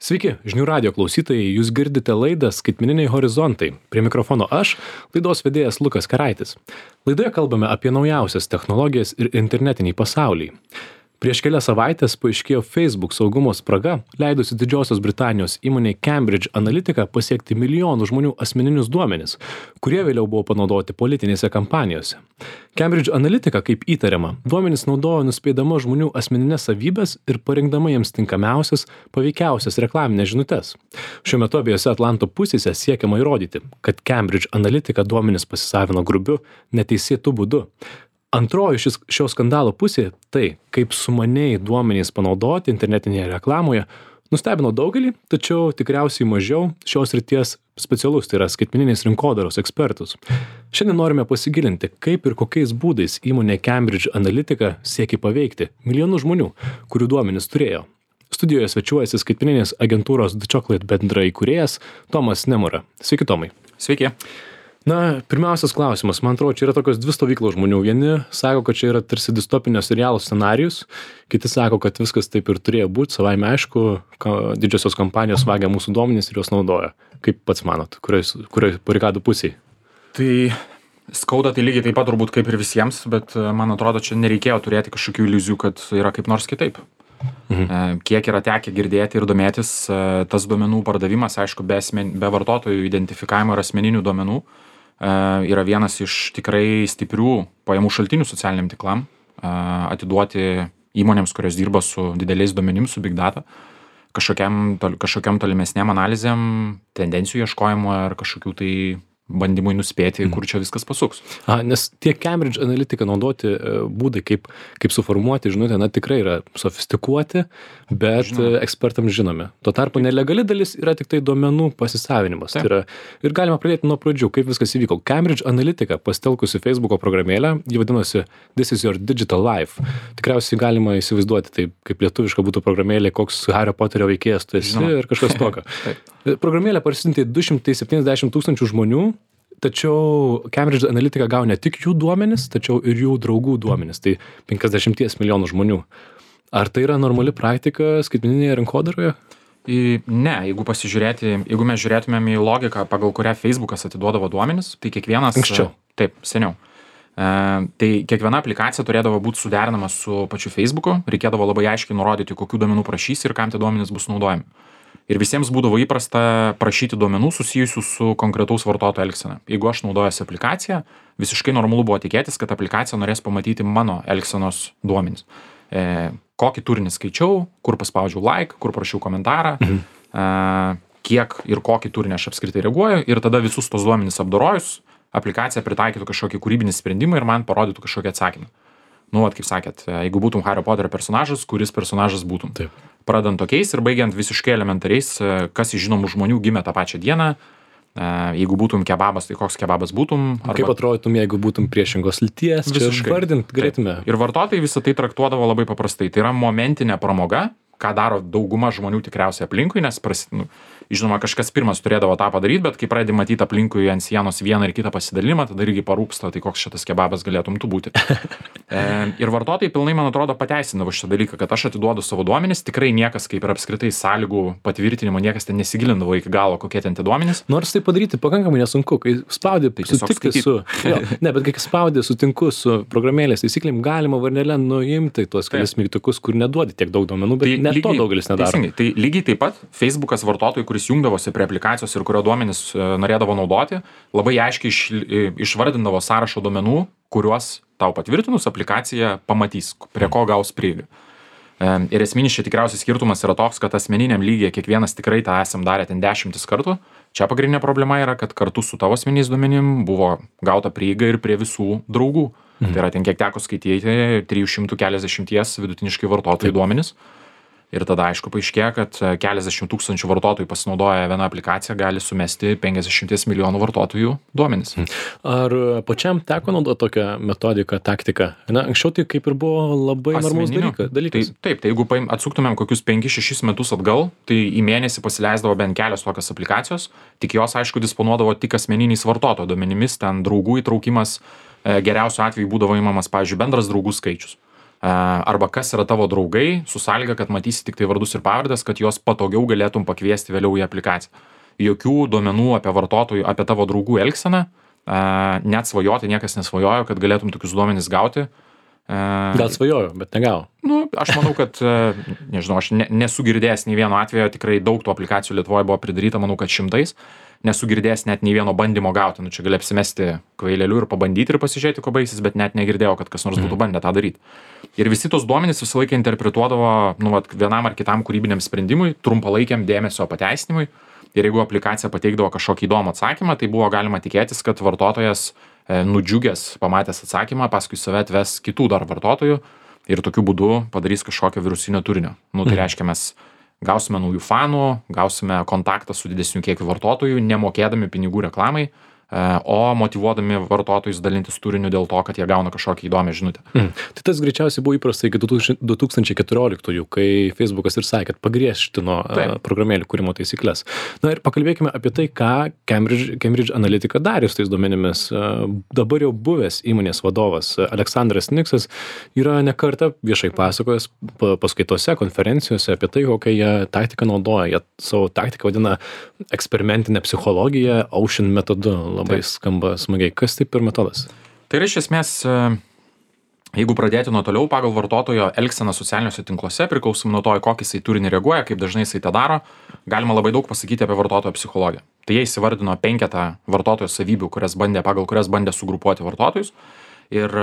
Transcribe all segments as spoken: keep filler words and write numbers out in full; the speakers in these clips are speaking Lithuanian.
Sveiki, žinių radio klausytojai, jūs girdite laidą Skaitmeniniai horizontai. Prie mikrofono aš, laidos vedėjas Lukas Karaitis. Laidoje kalbame apie naujausias technologijas ir internetinį pasaulį. Prieš kelias savaitės paaiškėjo Facebook saugumo spraga, leidusi Didžiosios Britanijos įmonei Cambridge Analytica pasiekti milijonų žmonių asmeninius duomenis, kurie vėliau buvo panaudoti politinėse kampanijose. Cambridge Analytica, kaip įtariama, duomenis naudojo nuspėdama žmonių asmeninės savybės ir parinkdama jiems tinkamiausias, paveikiausias reklaminės žinutes. Šiuo metu abiejose Atlanto pusėse siekiama įrodyti, kad Cambridge Analytica duomenis pasisavino grubiu, neteisėtu būdu. Antroji šis, šio skandalo pusė - tai, kaip sumaniai duomenys panaudoti internetinėje reklamoje, nustebino daugelį, tačiau tikriausiai mažiau šios srities specialus, tai yra skaitmeninės rinkodaros ekspertus. Šiandien norime pasigilinti, kaip ir kokiais būdais įmonė Cambridge Analytica siekia paveikti milijonų žmonių, kurių duomenys turėjo. Studijoje svečiuojasi skaitmeninės agentūros The Chocolate bendra įkūrėjas Tomas Nemura. Sveiki, Tomai. Sveiki. Na, pirmiausias klausimas. Man atrodo, čia yra tokios dvi stovyklos žmonių. Vieni sako, kad čia yra tarsi distopinio serialo scenarijus, kiti sako, kad viskas taip ir turėjo būti, savaime aišku, didžiosios kompanijos vagia mūsų duomenis ir juos naudoja. Kaip pats manot, kurioj, kurioj barikadų pusėje? Tai skauda tai lygiai taip pat turbūt kaip ir visiems, bet man atrodo, čia nereikėjo turėti kažkokių iliuzijų, kad yra kaip nors kitaip. Mhm. Kiek yra tekę girdėti ir domėtis, tas duomenų pardavimas, aišku, be, asmen, be vartotojų identifikavimo ir asmeninių duomenų, yra vienas iš tikrai stiprių pajamų šaltinių socialiniam tiklam, atiduoti įmonėms, kurios dirba su dideliais duomenim, su big data, kažkokiam, kažkokiam tolimesniam analizėm, tendencijų ieškojimo ar kažkokių tai bandymui nuspėti, kur čia viskas pasuks. A, nes tiek Cambridge Analytica naudoti būdai, kaip, kaip suformuoti žinutę, na tikrai yra sofistikuoti, bet žinoma, ekspertams žinomi. Tuo tarpu nelegali dalis yra tik tai duomenų pasisavinimas. Tai yra, ir galima pradėti nuo pradžių, kaip viskas įvyko. Cambridge Analytica pasitelkusi Facebooko programėlę, ji vadinosi This is your digital life. Tikriausiai galima įsivaizduoti, tai kaip lietuviška būtų programėlė, koks Hario Poterio veikėjas tu esi ir kažkas tokio. Programėlę parsisiuntė du šimtai septyniasdešimt tūkstančių žmonių, tačiau Cambridge Analytica gavo ne tik jų duomenis, tačiau ir jų draugų duomenis, tai penkiasdešimt milijonų žmonių. Ar tai yra normali praktika skaitmeninėje rinkodaroje? Ne, jeigu pasižiūrėti, jeigu mes žiūrėtumėm į logiką, pagal kurią Facebookas atiduodavo duomenis, tai kiekvienas... Anksčiau. Taip, seniau. E, tai kiekviena aplikacija turėdavo būti suderinama su pačiu Facebooku, reikėdavo labai aiškiai nurodyti, kokių duomenų prašys ir kam tie duomenys bus naudojami. Ir visiems būdavo įprasta prašyti duomenų susijusių su konkretaus vartotojo elgsena. Jeigu aš naudojuosi aplikaciją, visiškai normalu buvo tikėtis, kad aplikacija norės pamatyti mano elgsenos duomenys. E, kokį turinį skaičiau, kur paspaudžiau like, kur prašiau komentarą, mhm. e, kiek ir kokį turinį aš apskritai reaguoju, ir tada visus tos duomenys apdorojus, aplikacija pritaikytų kažkokį kūrybinį sprendimą ir man parodytų kažkokį atsakymą. Nu, vat, kaip sakėt, jeigu būtum Hario Poterio personažas, kuris personažas būtum. Taip. Pradant tokiais ir baigiant visiškai elementariais, kas iš žinomų žmonių gimė tą pačią dieną. Jeigu būtum kebabas, tai koks kebabas būtum. Arba... Kaip atrodytum, jeigu būtum priešingos lyties, visiškai vardint galėtume. Ir vartotojai visą tai traktuodavo labai paprastai. Tai yra momentinė pramoga, ką daro dauguma žmonių tikriausiai aplinkui, nes prasit, nu, žinoma, kažkas pirmas turėdavo tą padaryti, bet kai pradedi matyti aplinkui ant sienos vieną ir kitą pasidalimą, tada irgi parūpsta, tai koks šitas kebabas galėtum tu būti. E, ir vartotojai pilnai, man atrodo, pateisindavo šitą dalyką, kad aš atiduodu savo duomenis, tikrai niekas, kaip ir apskritai sąlygų patvirtinimo, niekas ten nesigilindavo iki galo, kokie ten tie duomenys. Nors tai padaryti pakankamai nesunku, kai spaudi tai sutikti su... Jo, ne, bet kai spaudi sutinku su programėlės taisyklėm, galima varnelę nuimti tuos kelis mygtukus, kur neduodi tiek daug duomenų, bet tai net lygiai, to daugelis nedaro. Teisingai, tai lygiai taip pat Facebookas vartotojui, kuris jungdavosi prie aplikacijos ir kurio duomenis norėdavo naudoti, labai aiškiai iš, išvardindavo sąrašo duomenų, kuriuos tau patvirtinus aplikacija pamatys, prie ko gaus prieigą. Ir esminis čia tikriausiai skirtumas yra toks, kad asmeniniam lygyje kiekvienas tikrai tą esam darę ten dešimtis kartų. Čia pagrindinė problema yra, kad kartu su tavo asmeniniais duomenim buvo gauta prieiga ir prie visų draugų. Mhm. Tai yra ten kiek teko skaityti, trijų šimtų keliasdešimt vidutiniškai vartotojų duomenis. Ir tada, aišku, paaiškėja, kad keliasdešimt tūkstančių vartotojų pasinaudoja vieną aplikaciją, gali sumesti penkiasdešimt milijonų vartotojų duomenis. Ar pačiam teko naudoti tokią metodiką, taktiką? Na, anksčiau tai kaip ir buvo labai normalus dalykas. Tai, taip, tai jeigu atsuktumėm kokius penkis šešis metus atgal, tai į mėnesį pasileisdavo bent kelios tokios aplikacijos, tik jos, aišku, disponuodavo tik asmeniniais vartotojo duomenimis, ten draugų įtraukimas, geriausiu atveju būdavo įmamas, pavyzdžiui, bendras draugų skaičius. arba kas yra tavo draugai, su sąlyga, kad matysi tik tai vardus ir pavardės, kad juos patogiau galėtum pakviesti vėliau į aplikaciją. Jokių duomenų apie vartotojų, apie tavo draugų elgseną, net svajoti niekas nesvajojo, kad galėtum tokius duomenis gauti. Gal svajojo, bet negavo. Nu, aš manau, kad, nežinau, aš ne, nesu girdėjęs nei vieno atvejo, tikrai daug tų aplikacijų Lietuvoje buvo pridaryta, manau, kad šimtais. Nesu girdėjęs net nei vieno bandymo gauti. Nu, čia gali apsimesti kvaileliu ir pabandyti ir pasižiūrėti, ko baigsis, bet net negirdėjau, kad kas nors būtų bandę tą daryti. Ir visi tos duomenys visą laiką interpretuodavo, nu, vat, vienam ar kitam kūrybiniam sprendimui, trumpalaikiam dėmesio pateisinimui. Ir jeigu aplikacija pateikdavo kažkokį įdomų atsakymą, tai buvo galima tikėtis, kad vartotojas e, nudžiugęs, pamatęs atsakymą, paskui save atves kitų dar vartotojų ir tokiu būdu padarys kažkokio virusinio turinio. Nu, tai reiškia, mes gausime naujų fanų, gausime kontaktą su didesniu kiekiu vartotojų, nemokėdami pinigų reklamai, o motyvuodami vartotojus dalintis turiniu dėl to, kad jie gauna kažkokią įdomią žinutę. Mm. Tai tas greičiausiai buvo įprasta iki du tūkstančiai keturioliktųjų, kai Facebookas ir sakė, kad pagriežtino uh, programėlių kūrimo taisyklles. Na ir pakalbėkime apie tai, ką Cambridge, Cambridge Analytica darė su tais duomenimis. Uh, dabar jau buvęs įmonės vadovas Aleksandras Niksas yra ne kartą viešai pasakojęs paskaitose, konferencijose apie tai, kokią jie taktiką naudoja. Jie savo taktiką vadina eksperimentinę psichologiją Ocean metodu. Labai Taip. Skamba smagiai. Kas tai per metodas? Tai yra iš esmės, jeigu pradėti nuo toliau, pagal vartotojo elgseną socialiniuose tinkluose, priklausomai nuo to, į kokį jisai turinį reaguoja, kaip dažnai jisai tą daro, galima labai daug pasakyti apie vartotojo psichologiją. Tai jie įsivardino penketą vartotojo savybių, kurias bandė, pagal kurias bandė sugrupuoti vartotojus. Ir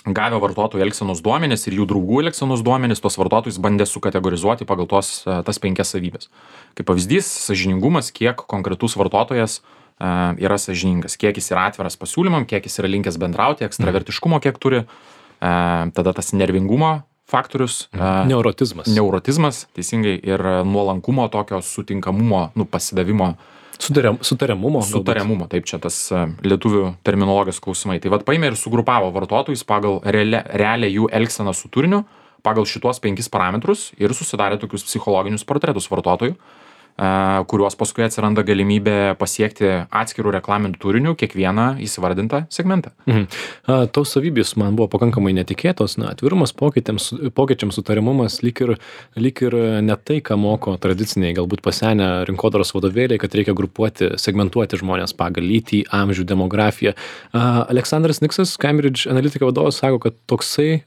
gavę vartotojų elgsenos duomenis ir jų draugų elgsenos duomenis, tos vartotojus bandė sukategorizuoti pagal tos, tas penkias savybės. Kaip pavyzdys, sąžiningumas, kiek konkretus vartotojas uh, yra sąžiningas, kiek jis yra atviras pasiūlymam, kiek jis yra linkęs bendrauti, ekstravertiškumo kiek turi, uh, tada tas nervingumo faktorius. Uh, neurotizmas. Neurotizmas, teisingai, ir nuolankumo tokio sutinkamumo, nu, pasidavimo. Sutariam, sutariamumo. Sutariamumo, taip, čia tas lietuvių terminologijos klausimai. Tai vat paėmė ir sugrupavo vartotojus pagal realią, realią jų elgseną su turiniu, pagal šitos penkis parametrus ir susidarė tokius psichologinius portretus vartotojų, kuriuos paskui atsiranda galimybė pasiekti atskirų reklaminių turinių kiekvieną įsivardintą segmentą. Mhm. Tos savybės man buvo pakankamai netikėtos, na, atvirumas pokyčiams, pokyčiams sutarimumas, lyg ir, lyg ir ne tai, ką moko tradiciniai, galbūt pasenę rinkodaros vadovėliai, kad reikia grupuoti, segmentuoti žmonės pagal lytį, amžių, demografiją. Aleksandras Niksas, Cambridge Analytica vadovas, sako, kad toksai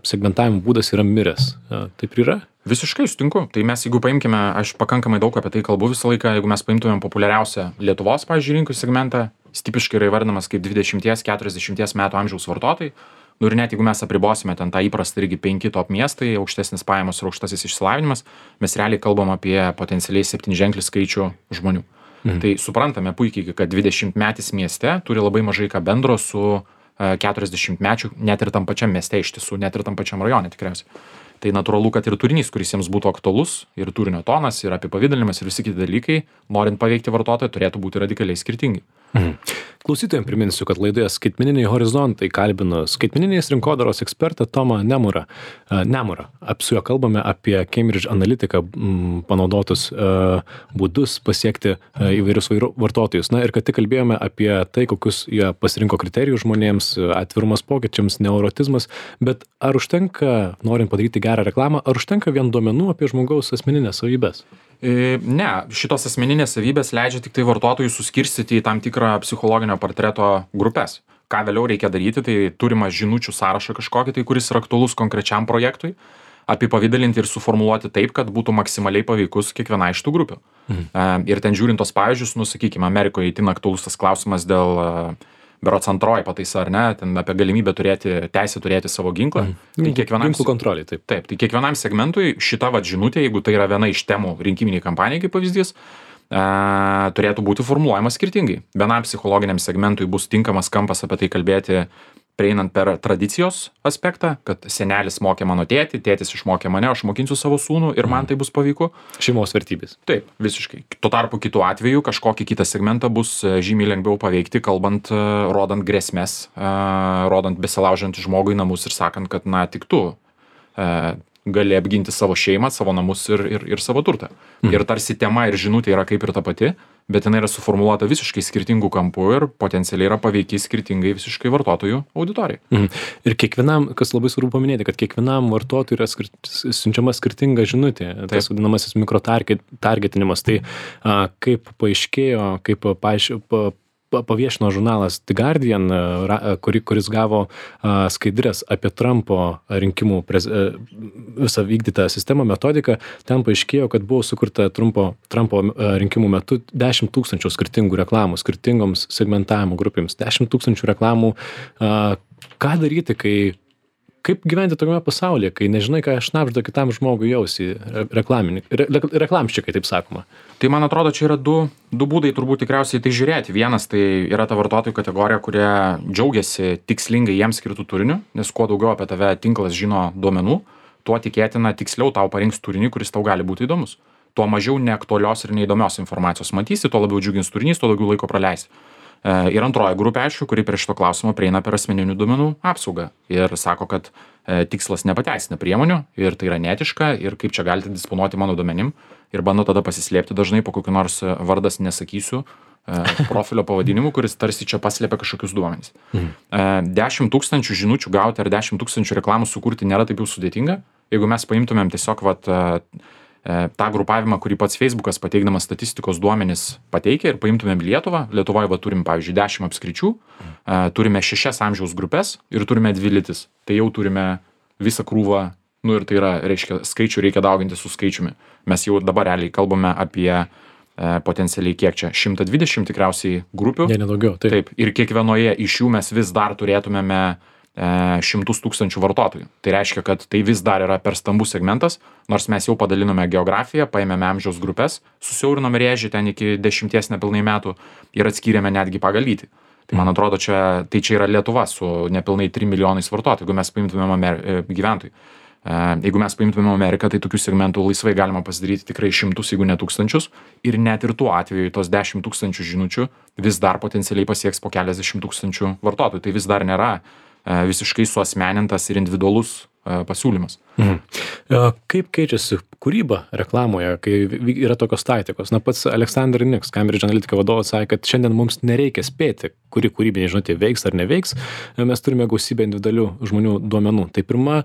segmentavimo būdas yra miręs. Taip ir yra? Visiškai sutinku. Tai mes, jeigu paimkime, aš pakankamai daug apie tai kalbu visą laiką, jeigu mes paimtumėm populiariausią Lietuvos, pavyzdžiui, rinkų segmentą, jis tipiškai yra įvardinamas kaip dvidešimt keturiasdešimt metų amžiaus vartotojai. Nu ir net jeigu mes apribosime ten tą įprastą irgi penki top miestai, aukštesnis pajamos ir aukštasis išsilavinimas, mes realiai kalbam apie potencialiai septynženklį skaičių žmonių. Mhm. Tai suprantame puikiai, kad dvidešimtmetis mieste turi labai mažai ką bendro su keturiasdešimtmečiu, net ir tam pačiam mieste iš tiesų, net ir tam pačiam rajone tikriausiai. Tai natūralu, kad ir turinys, kuris jiems būtų aktualus, ir turinio tonas, ir apipavidalinimas, ir visi kiti dalykai, norint paveikti vartotoją, turėtų būti radikaliai skirtingi. Mhm. Klausytojams priminsiu, kad laidoje Skaitmeniniai horizontai kalbino skaitmeninės rinkodaros ekspertą Tomą Nemurą. Nemurą. Su juo kalbame apie Cambridge Analytica panaudotus būdus pasiekti įvairius vartotojus. Na ir kad tik kalbėjome apie tai, kokius jie pasirinko kriterijus žmonėms, atvirumas pokyčiams, neurotizmas, bet ar užtenka, norint padaryti gerą reklamą, ar užtenka vien duomenų apie žmogaus asmeninės savybės? Ne, šitos asmeninės savybės leidžia tik tai vartotojų suskirstyti į tam tikrą psichologinio portreto grupės. Ką vėliau reikia daryti, tai turimą žinučių sąrašą kažkokį, tai kuris yra aktualus konkrečiam projektui, apipavidalinti ir suformuluoti taip, kad būtų maksimaliai paveikus kiekviena iš tų grupių. Mhm. Ir ten žiūrint tos pavyzdžius, nu, sakykime, Amerikoje itin aktualus tas klausimas dėl berods antroji pataisa, ar ne, ten apie galimybę turėti, teisę turėti savo ginklą. Mm. Tai kiekvienam, ginklų kontrolė, taip. Taip, tai kiekvienam segmentui šita vat žinutė, jeigu tai yra viena iš temų rinkiminiai kampanijai, kaip pavyzdys, e, turėtų būti formuluojamas skirtingai. Vienam psichologiniam segmentui bus tinkamas kampas apie tai kalbėti, prieinant per tradicijos aspektą, kad senelis mokė mano tėtį, tėtis išmokė mane, aš mokinsiu savo sūnų ir man tai bus paveiku. Šeimos vertybės. Taip, visiškai. Tuo tarpu kitu atveju kažkokį kitą segmentą bus žymiai lengviau paveikti, kalbant, rodant grėsmės, rodant besilaužiant žmogui namus ir sakant, kad na tik tu gali apginti savo šeimą, savo namus ir, ir, ir savo turtą. Mhm. Ir tarsi tema ir žinutė yra kaip ir ta pati, bet jinai yra suformuoluota visiškai skirtingų kampų ir potencialiai yra paveiki skirtingai visiškai vartotojų auditorijai. Mhm. Ir kiekvienam, kas labai svarbu paminėti, kad kiekvienam vartotojui yra skir siunčiama skirtinga žinutė, tas vadinamasis mikrotargetinimas. Tai a, kaip paaiškėjo, kaip paaiš, pa, paviešino žurnalas The Guardian, kuri, kuris gavo a, skaidrės apie Trumpo rinkimų prez, a, visą vykdytą sistemą, metodiką, ten paaiškėjo, kad buvo sukurta Trumpo, Trumpo a, rinkimų metu dešimt tūkstančių skirtingų reklamų, skirtingoms segmentavimo grupėms, dešimt tūkstančių reklamų. A, ką daryti, kai kaip gyventi tokiame pasaulyje, kai nežinai, ką šnabžda kitam žmogui jausi reklaminį, re, reklamščikai, taip sakoma. Tai man atrodo, čia yra du, du būdai turbūt tikriausiai tai žiūrėti. Vienas tai yra ta vartotojų kategorija, kurie džiaugiasi tikslingai jiems skirtų turiniu, nes kuo daugiau apie tave tinklas žino duomenų, tuo tikėtina tiksliau tau parinks turinį, kuris tau gali būti įdomus. Tuo mažiau neaktualios ir neįdomios informacijos matysi, tuo labiau džiugins turinys, tuo daugiau laiko praleisi. Ir antroji grupė, aišku, kuri prie šito klausimo prieina per asmeninių duomenų apsaugą ir sako, kad e, tikslas nepateisina priemonių ir tai yra netiška ir kaip čia galite disponuoti mano duomenim ir bando tada pasislėpti dažnai po kokiu nors vardas nesakysiu e, profilio pavadinimu, kuris tarsi čia paslėpia kažkokius duomenys. Mhm. E, dešimt tūkstančių žinučių gauti ar dešimt tūkstančių reklamų sukurti nėra taip jau sudėtinga. Jeigu mes paimtumėm tiesiog vat, e, tą grupavimą, kurį pats Facebookas pateikdamas statistikos duomenis pateikia ir paimtumėm Lietuvą. Lietuvoje va, turim, pavyzdžiui, dešimt apskričių, turime šešias amžiaus grupės ir turime dvi lytis. Tai jau turime visą krūvą, nu ir tai yra, reiškia, skaičių reikia dauginti su skaičiumi. Mes jau dabar realiai kalbame apie e, potencialiai kiek čia, šimtą dvidešimt tikriausiai grupių. Ne, nedaugiau. Taip. Taip. Ir kiekvienoje iš jų mes vis dar turėtumėme šimtus tūkstančių vartotojų. Tai reiškia, kad tai vis dar yra per stambus segmentas, nors mes jau padalinome geografiją, paėmėme amžiaus grupės, susiaurinome rėžį ten iki dešimties nepilnai metų ir atskyrėme netgi pagal lytį. Tai man atrodo, čia, tai čia yra Lietuva su nepilnai trim milijonais vartotojų, jeigu mes paimtumėm Amer... gyventojų. Jeigu mes paimtumėm Ameriką, tai tokių segmentų laisvai galima pasidaryti tikrai šimtus, jeigu ne tūkstančius. Ir net ir tuo atveju tos dešimt tūkstančių žinučių vis dar potencialiai pasieks po keliasdešimt tūkstančių vartotojų. Tai vis dar nėra visiškai suasmenintas ir individualus pasiūlymas. Mhm. Kaip keičiasi kūryba reklamoje, kai yra tokios taktikos? Na, pats Alexander Nix, Cambridge Analytica vadovas, sakė, kad šiandien mums nereikia spėti, kuri kūrybinė žinutė veiks ar neveiks. Mes turime gausybę individualių žmonių duomenų. Tai pirma,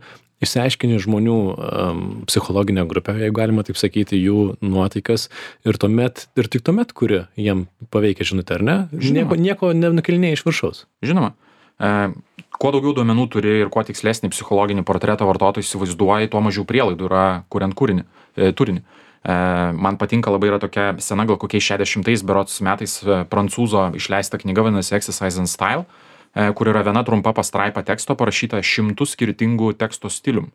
išsiaiškini žmonių um, psichologinę grupę, jeigu galima taip sakyti, jų nuotaikas ir tuomet, ir tik tuomet, kuri jiem paveikia žinutę, ar ne? Nieko, nieko nenukelinėja iš viršaus. Žinoma. E, kuo daugiau duomenų turi ir kuo tikslesnį psichologinį portretą vartotojų įsivaizduoji, tuo mažiau prielaidų yra kuriant kūrinį, e, turinį. E, man patinka labai yra tokia sena, gal kokiais šešiasdešimtais berods metais e, prancūzo išleista knyga, vadinasi Exercise and Style, e, kur yra viena trumpa pastraipa teksto parašyta šimtų skirtingų teksto stilium.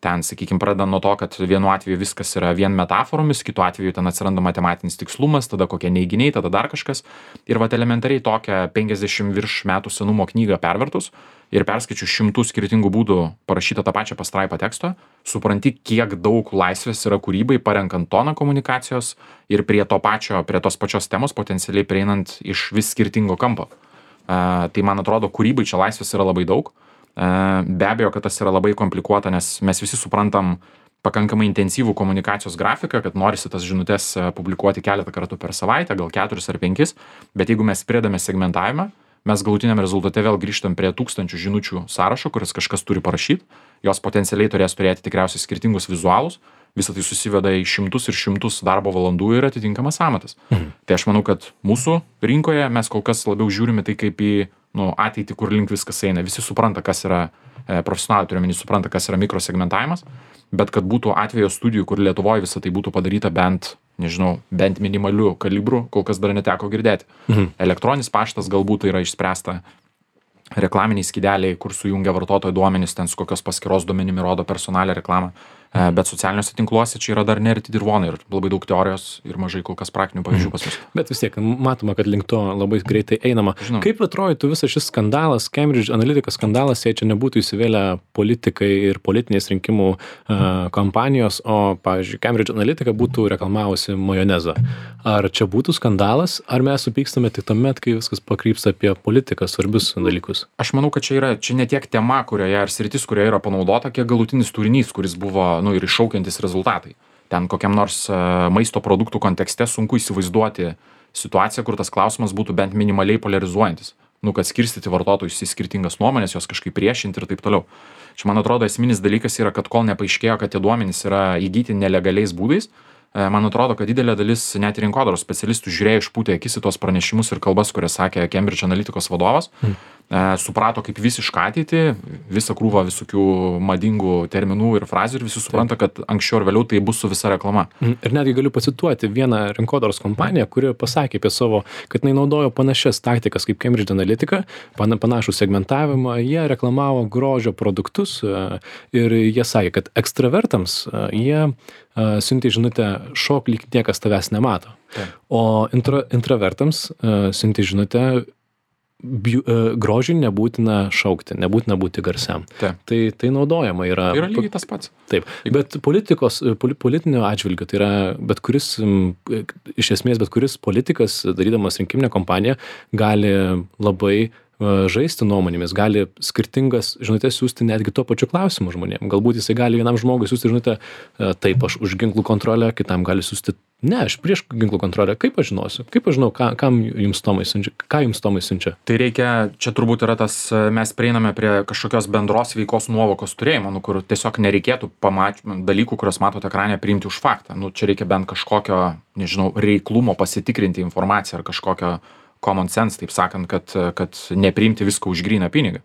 Ten, sakykime, pradedant nuo to, kad vienu atveju viskas yra vien metaforomis, kitu atveju ten atsiranda matematinis tikslumas, tada kokie neiginiai, tada dar kažkas. Ir vat elementariai tokią penkiasdešimt virš metų senumo knygą pervertus ir perskaičiu šimtų skirtingų būdų parašytą tą pačią pastraipą teksto, supranti, kiek daug laisvės yra kūrybai, parenkant toną komunikacijos ir prie to pačio, prie tos pačios temos potencialiai prieinant iš vis skirtingo kampo. Uh, tai man atrodo, kūrybai čia laisvės yra labai daug. Be abejo, kad tas yra labai komplikuota, nes mes visi suprantam pakankamai intensyvų komunikacijos grafiką, kad norisi tas žinutės publikuoti keletą kartų per savaitę, gal keturis ar penkis, bet jeigu mes pridame segmentavimą, mes galutiniam rezultate vėl grįžtam prie tūkstančių žinučių sąrašo, kuris kažkas turi parašyti, jos potencialiai turės turėti tikriausiai skirtingus vizualus, visą tai susiveda į šimtus ir šimtus darbo valandų ir atitinkamas amatas. Mhm. Tai aš manau, kad mūsų rinkoje mes kol kas labiau žiūrime tai kaip į nu, ateitį, kur link viskas eina. Visi supranta, kas yra e, profesionaliai, turiuomenį supranta, kas yra mikrosegmentavimas, bet kad būtų atvejo studijų, kur Lietuvoje visą tai būtų padaryta bent, nežinau, bent minimaliu kalibru, kol kas dar neteko girdėti. Mhm. Elektroninis paštas galbūt yra išspręsta, reklaminiai skydeliai, kur sujungia vartotojo duomenis, ten su kokios paskyros duomenimi rodo personalią reklamą, bet socialiniuose tinkluose čia yra dar nerti dirvonai ir labai daug teorijos ir mažai kol kas praktinių pavyzdžių pas mus. Bet vis tiek matoma, kad link to labai greitai einama. Žinoma. Kaip atrodytų visas šis skandalas, Cambridge Analytica skandalas, jei čia nebūtų įsivėlę politikai ir politinės rinkimų uh, kampanijos, o, pavyzdžiui, Cambridge Analytica būtų reklamavusi majonezą. Ar čia būtų skandalas, ar mes supykstame tik tuomet, kai viskas pakrypsta apie politiką, svarbius dalykus? Aš manau, kad čia yra čia ne tiek tema, kurioje ar sritis, kurioje yra panaudota, kiek galutinis turinys, kuris buvo nu, ir iššaukiantis rezultatai. Ten kokiam nors uh, maisto produktų kontekste sunku įsivaizduoti situaciją, kur tas klausimas būtų bent minimaliai polarizuojantis. Nu, kad skirstyti vartotojus į skirtingas nuomonės, jos kažkaip priešinti ir taip toliau. Čia, man atrodo, esminis dalykas yra, kad kol nepaaiškėjo, kad tie duomenys yra įgyti nelegaliais būdais, man atrodo, kad didelė dalis net ir rinkodaros specialistų žiūrėjo išpūtę akis į tos pranešimus ir kalbas, kurias sakė Cambridge Analyticos vadovas, mm. e, suprato kaip visišką ateitį, visą krūvą visokių madingų terminų ir frazių ir visi supranta, kad anksčiau ir vėliau tai bus su visa reklama. Mm. Ir netgi galiu pacituoti vieną rinkodaros kompaniją, kuri pasakė apie savo, kad jinai naudojo panašias taktikas kaip Cambridge Analytica, panašų segmentavimą, jie reklamavo grožio produktus ir jie sakė, kad ekstravertams jie Uh, siuntė žinutę šok, lyg niekas tavęs nemato. Tai. O intro, intravertams uh, siuntė žinutę biu, uh, grožiui nebūtina šaukti, nebūtina būti garsiam. Tai, tai, tai naudojama yra. Tai yra lygiai tas pats. Taip, bet politikos, politinio atžvilgiu, tai yra bet kuris, iš esmės bet kuris politikas, darydamas rinkiminę kampaniją, gali labai žaisti nuomonėmis, gali skirtingas žinutės siūsti netgi tuo pačiu klausimu žmonėm. Galbūt jisai gali vienam žmogui siūsti žinutę, taip, aš už ginklų kontrolę, kitam gali siūsti, ne, aš prieš ginklų kontrolę, kaip aš žinosiu, kaip aš žinau, ką, kam jums Tomai siunčia, ką jums Tomai siunčia. Tai reikia, čia turbūt yra tas, mes prieiname prie kažkokios bendros veikos nuovokos turėjimo, nu, kur tiesiog nereikėtų pamatyti dalykų, kuriuos matote ekrane, priimti už faktą. Nu, čia reikia bent kažkokio, nežinau, reiklumo pasitikrinti informaciją ar kažkokio common sense, taip sakant, kad, kad nepriimti visko už gryną pinigą.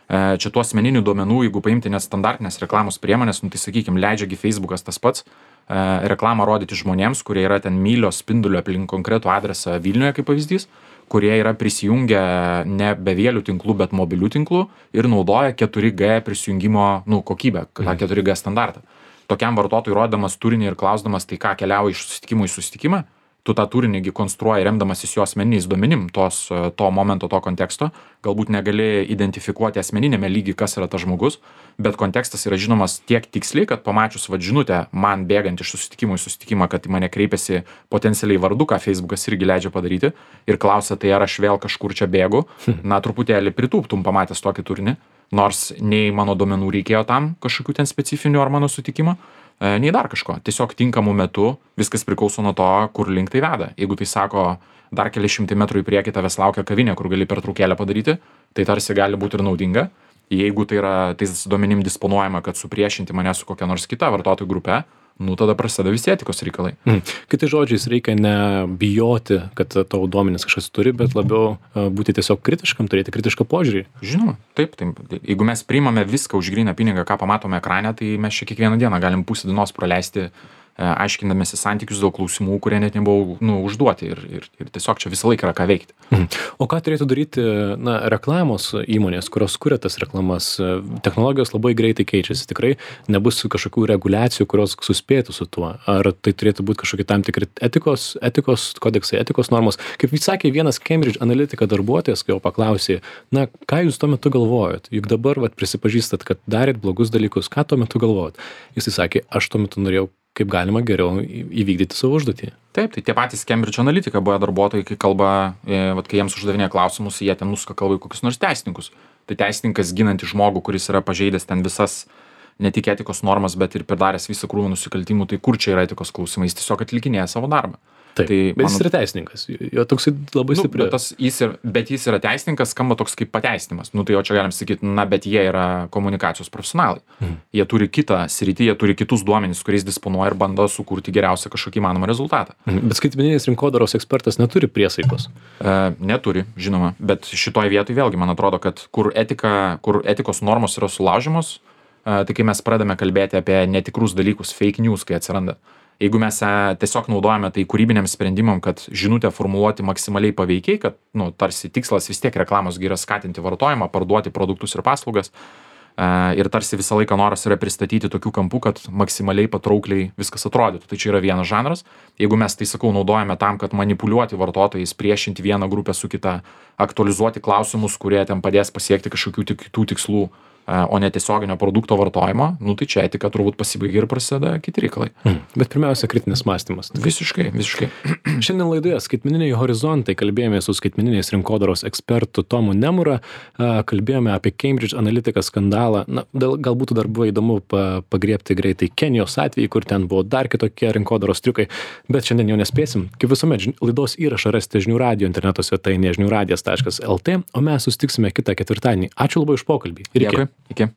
Čia tų asmeninių duomenų, jeigu paimti nestandartinės reklamos priemonės, nu, tai sakykime, leidžiagi Facebookas tas pats, reklamą rodyti žmonėms, kurie yra ten mylios spindulio aplink konkretų adresą Vilniuje, kaip pavyzdys, kurie yra prisijungę ne bevėlių tinklų, bet mobilių tinklų ir naudoja keturi G prisijungimo nu, kokybę, tą keturi G standartą. Tokiam vartotojui rodamas turinį ir klausdamas, tai ką keliauja iš susitikimo į susitikimą, tu tą turinį konstruoji remdamasis jo asmeniniais duomenim, tos, to momento, to konteksto, galbūt negali identifikuoti asmeninėme lygy, kas yra tas žmogus, bet kontekstas yra žinomas tiek tiksliai, kad pamačius vad žinutę man bėgant iš susitikimo į susitikimą, kad į mane kreipiasi potencialiai vardu, ką Facebookas irgi leidžia padaryti, ir klausia, tai ar aš vėl kažkur čia bėgu, na truputėlį pritūptum pamatęs tokį turinį, nors nei mano duomenų reikėjo tam kažkokių ten specifinių ar mano sutikimo, nei dar kažko. Tiesiog tinkamu metu viskas priklauso nuo to, kur link tai veda. Jeigu tai sako, dar keli šimtai metrų į priekį tavęs laukia kavinė, kur gali pertraukėlę padaryti, tai tarsi gali būti ir naudinga. Jeigu tai yra tais duomenim disponuojama, kad supriešinti mane su kokia nors kita vartotojų grupe, nu tada prasideda visi etikos reikalai. Mm. Kitais žodžiais, reikia nebijoti, kad tavo duomenis kažkas turi, bet labiau būti tiesiog kritiškam, turėti kritišką požiūrį. Žinoma, taip, taip. Jeigu mes priimame viską už gryną pinigą, ką pamatome ekrane, tai mes čia kiekvieną dieną galim pusę dienos praleisti aiškindamėsi santykius dėl klausimų, kurie net nebuvo nu, užduoti ir, ir, ir tiesiog čia visą laiką yra ką veikti. Mhm. O ką turėtų daryti na, reklamos įmonės, kurios kuria tas reklamas? Technologijos labai greitai keičiasi, tikrai nebus kažkokių reguliacijų, kurios suspėtų su tuo. Ar tai turėtų būti kažkokie tam tikri etikos, etikos kodeksai, etikos normos? Kaip jis sakė, vienas Cambridge Analytica darbuotojas, kai jo paklausė, na, ką jūs tuo metu galvojot? Juk dabar vat, prisipažįstat, kad darėt blogus dalykus, ką tuo metu galvojot? Jis sakė, aš tuo metu norėjau kaip galima geriau įvykdyti savo užduotį. Taip, tai tie patys Cambridge Analytica buvo darbuotojai, kai kalba, e, vat, kai jiems uždavinė klausimus, jie ten nuska kalba į kokius nors teisininkus. Tai teisininkas ginantis žmogų, kuris yra pažeidęs ten visas ne tik etikos normas, bet ir pridaręs visą krūvą nusikaltimų, tai kur čia yra etikos klausimai, jis tiesiog atlikinėja savo darbą. Taip, tai, bet mano... jis yra teisininkas, jo toksai labai nu, stipriai. Bet, tas, jis ir, bet jis yra teisininkas, skamba toks kaip pateisinimas. Nu tai jo čia galim sakyti, na bet jie yra komunikacijos profesionalai. Mhm. Jie turi kitą sritį, jie turi kitus duomenis, kuriais disponuoja ir bando sukurti geriausią kažkokį įmanomą rezultatą. Mhm. Bet skaitmeninis rinkodaros ekspertas neturi priesaikos. E, neturi, žinoma, bet šitoj vietoj vėlgi man atrodo, kad kur, etika, kur etikos normos yra sulaužimos, e, tai kai mes pradame kalbėti apie netikrus dalykus, fake news, kai atsiranda. Jeigu mes tiesiog naudojame tai kūrybiniam sprendimam, kad žinutę formuluoti maksimaliai paveikiai, kad, nu, tarsi tikslas vis tiek reklamos yra skatinti vartojimą, parduoti produktus ir paslaugas, ir tarsi visą laiką noras yra pristatyti tokių kampų, kad maksimaliai patraukliai viskas atrodytų. Tai čia yra vienas žanras. Jeigu mes tai, sakau, naudojame tam, kad manipuliuoti vartotojais, priešinti vieną grupę su kita, aktualizuoti klausimus, kurie ten padės pasiekti kažkokių kitų tikslų, o ne tiesioginio produkto vartojimo, nu tai čia etika turbūt pasibaigia ir prasideda kiti reikalai. Mm. Bet pirmiausia, kritinis mąstymas. Visiškai, visiškai. Šiandien laidoje Skaitmeniniai horizontai kalbėjome su skaitmeniniais rinkodaros ekspertu Tomu Nemura, kalbėjome apie Cambridge Analytica skandalą. Na, galbūt dar buvo įdomu pagriebti greitai Kenijos atvejį, kur ten buvo dar kitokie rinkodaros triukai, bet šiandien jau nespėsim. Kaip visuomet, laidos įrašą rasite žinių radijo interneto svetainėje žinių radijas taškas el tė, o mes susitiksime kitą ketvirtadienį. Ačiū labai už pokalbį. Dėkui. Iki.